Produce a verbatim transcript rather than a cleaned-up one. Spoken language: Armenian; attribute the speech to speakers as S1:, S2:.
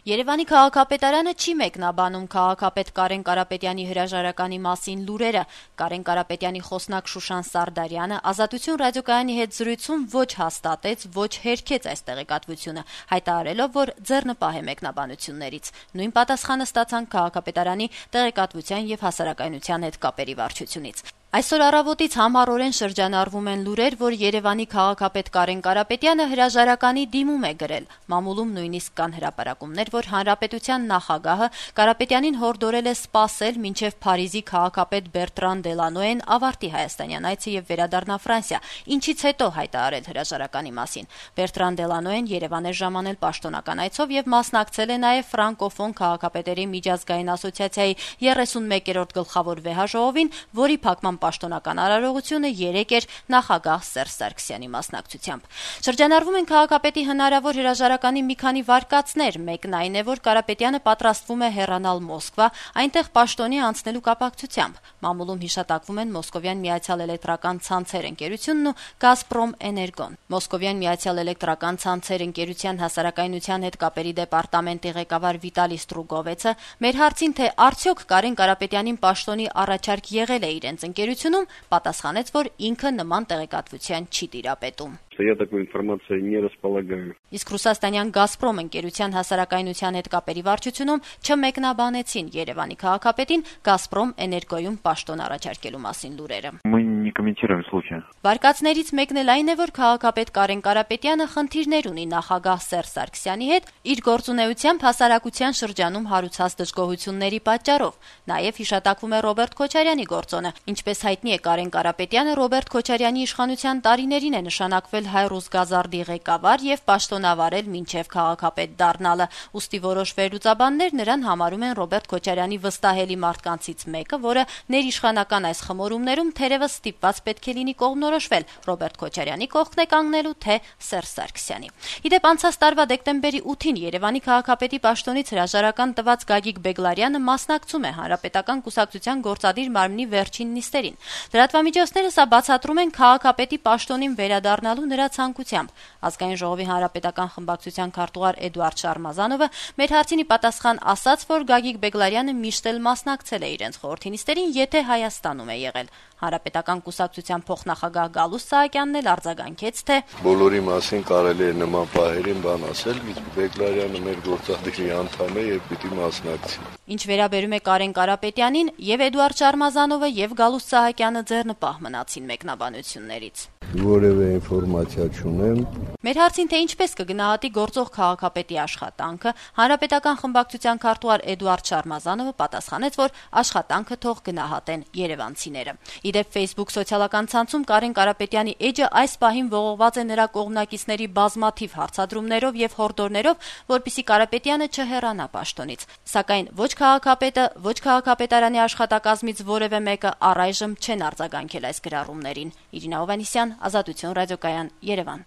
S1: Երևանի քաղաքապետարանը չի մեկնաբանում քաղաքապետ Կարեն Կարապետյանի հրաժարականի մասին լուրերը։ Կարեն Կարապետյանի խոսնակ Շուշան Սարդարյանը Ազատություն ռադիոկայանի հետ զրույցում ոչ հաստատեց, ոչ հերքեց այս տեղեկատվությունը, հայտարարելով, որ ձեռնպահ է մեկնաբանություններից։ Նույն պատասխանը ստացան քաղաքապետարանի տեղեկատվության եւ հասարակայնության հետ կապերի վարչությունից։ Այսօր առավոտից համառորեն շրջանառվում են լուրեր, որ Երևանի քաղաքապետ Կարեն Կարապետյանը հրաժարականի դիմում է գրել։ Մամուլում նույնիսկ կան հրապարակումներ, որ հանրապետության նախագահը Կարապետյանին հորդորել է սպասել, մինչև Փարիզի քաղաքապետ Բերտրան Դելանոեն ավարտի հայաստանյան այցը եւ վերադառնա Ֆրանսիա, ինչից հետո հայտարարել հրաժարականի մասին։ Բերտրան Դելանոեն Երևան է ժամանել պաշտոնական այցով եւ մասնակցել է նաեւ ֆրանկոֆոն քաղաքապետերի միջազգային ասոցիացիայի երեսունմեկերորդ գլխավոր վեհաժողովին, որի փակման պաշտոնական արարողությունը երեկ էր նախագահ Սերժ Սարգսյանի մասնակցությամբ։ Շրջանառվում են քաղաքապետի հնարավոր հրաժարականի մի քանի վարկածներ։ Մեկն այն է, որ Կարապետյանը պատրաստվում է հեռանալ Մոսկվա, այնտեղ պաշտոնի անցնելու կապակցությամբ։ Մամուլում հիշատակվում են Մոսկովյան Միացյալ էլեկտրական ցանցեր ընկերությունն ու Գազպրոմ Էներգոն։ Մոսկովյան Միացյալ էլեկտրական ցանցեր ընկերության հասարակայնության հետ կապերի դեպարտամենտի ղեկավար Վիտալի Ստրուգովեցը մեր հարցին, թե արդյոք Կարեն Կարապետյանին պաշտոնի առաջարկ եղել է իրենց ընկերությունում, պատասխանեց, որ ինքը նման տեղեկատվության չի տիրապետում։
S2: Я такой информацией не располагаю.
S1: Իսկ ռուսաստանյան Գազպրոմ ընկերության հասարակայնության հետ կապերի վարչությունում չմեկնաբանեցին Երևանի քաղաքապետին Գազպրոմ Էներգոյում պաշտոն առաջարկելու մասին լուրերը։
S2: Мы не комментируем случай.
S1: Վարկածներից մեկն էլ այն է, որ քաղաքապետ Կարեն Կարապետյանը խնդիրներ ունի նախագահ Սերժ Սարգսյանի հետ իր գործունեությամբ հասարակության շրջանում հարուցած դժգոհությունների պատճառով։ Նաև հիշատակվում է Ռոբերտ Քոչարյանի գործոնը։ Ինչպես հայտնի է, Կարեն Կարապետյանը Ռոբերտ Քոչարյանի իշխանության տարիներին է նշանակվել Հայ-Ռուսգազարդի ղեկավար եւ պաշտոնավարել մինչեւ քաղաքապետ դառնալը։ Ուստի որոշ վերլուծաբաններ նրան համարում են Ռոբերտ Քոչարյանի վստահելի մարդկանցից մեկը, որը ներիշխանական այս խմորումներում թերևս ստիպված պետք է լինի կողմնորոշվել Ռոբերտ Քոչարյանի կողքն է կանգնելու, թե Սերժ Սարգսյանի։ Իդեպ անցած տարվա դեկտեմբերի ութին Երևանի քաղաքապետի պաշտոնից հրաժարական տված Գագիկ Բեգլարյանը մասնակցում է Հանրապետական կուսակցության գործադիր մարմնի վերջին նիստերին։ Լրատվամիջոցները սա բացատրում են քաղաքապետի պաշտոնին վերադառնալու նրա ցանկությամբ։ Ազգային ժողովի հանրապետական խմբակցության քարտուղար Էդուարդ Շարմազանովը մեր հարցինի պատասխան ասաց, որ Գագիկ Բեգլարյանը միշտ էլ մասնակցել է իրենց խորհրդի նիստերին, եթե Հայաստանում է եղել։ Հանրապետական կուսակցության փոխնախագահ Գալուստ Սահակյանն էլ արձագանքեց, թե
S3: բոլորի մասին կարելի է նման պահերին բան ասել, իսկ Բեգլարյանը մեր գործադիրի անդամ է եւ պիտի մասնակցի։
S1: Ինչ վերաբերում է Կարեն Կարապետյանին, եւ Էդուարդ Շարմազանովը եւ Գալուստ Սահակյանը ձեռնպահ մնացին մեկնաբանություններից։
S3: Որևէ ինֆորմացիա չունեմ։
S1: Մեր հարցին, թե ինչպես կգնահատի գործող քաղաքապետի աշխատանքը, Հանրապետական խմբակցության քարտուղար Էդուարդ Շարմազանովը պատասխանեց, որ աշխատանքը թող գնահատեն երևանցիները։ Իդեպ Facebook սոցիալական ցանցում Կարեն Կարապետյանի էջը այս պահին ողողված է նրա կողմնակիցների բազմաթիվ հարցադրումներով եւ հորդորներով, որպեսզի Կարապետյանը չհեռանա պաշտոնից։ Սակայն ոչ քաղաքապետը, ոչ քաղաքապետարանի աշխատակազմից որևէ մեկը առայժմ չեն արձագանքել այս գրառումներին։ Իրինա Հովհաննիսյան, Ազատություն ռադիոկայան, Երևան։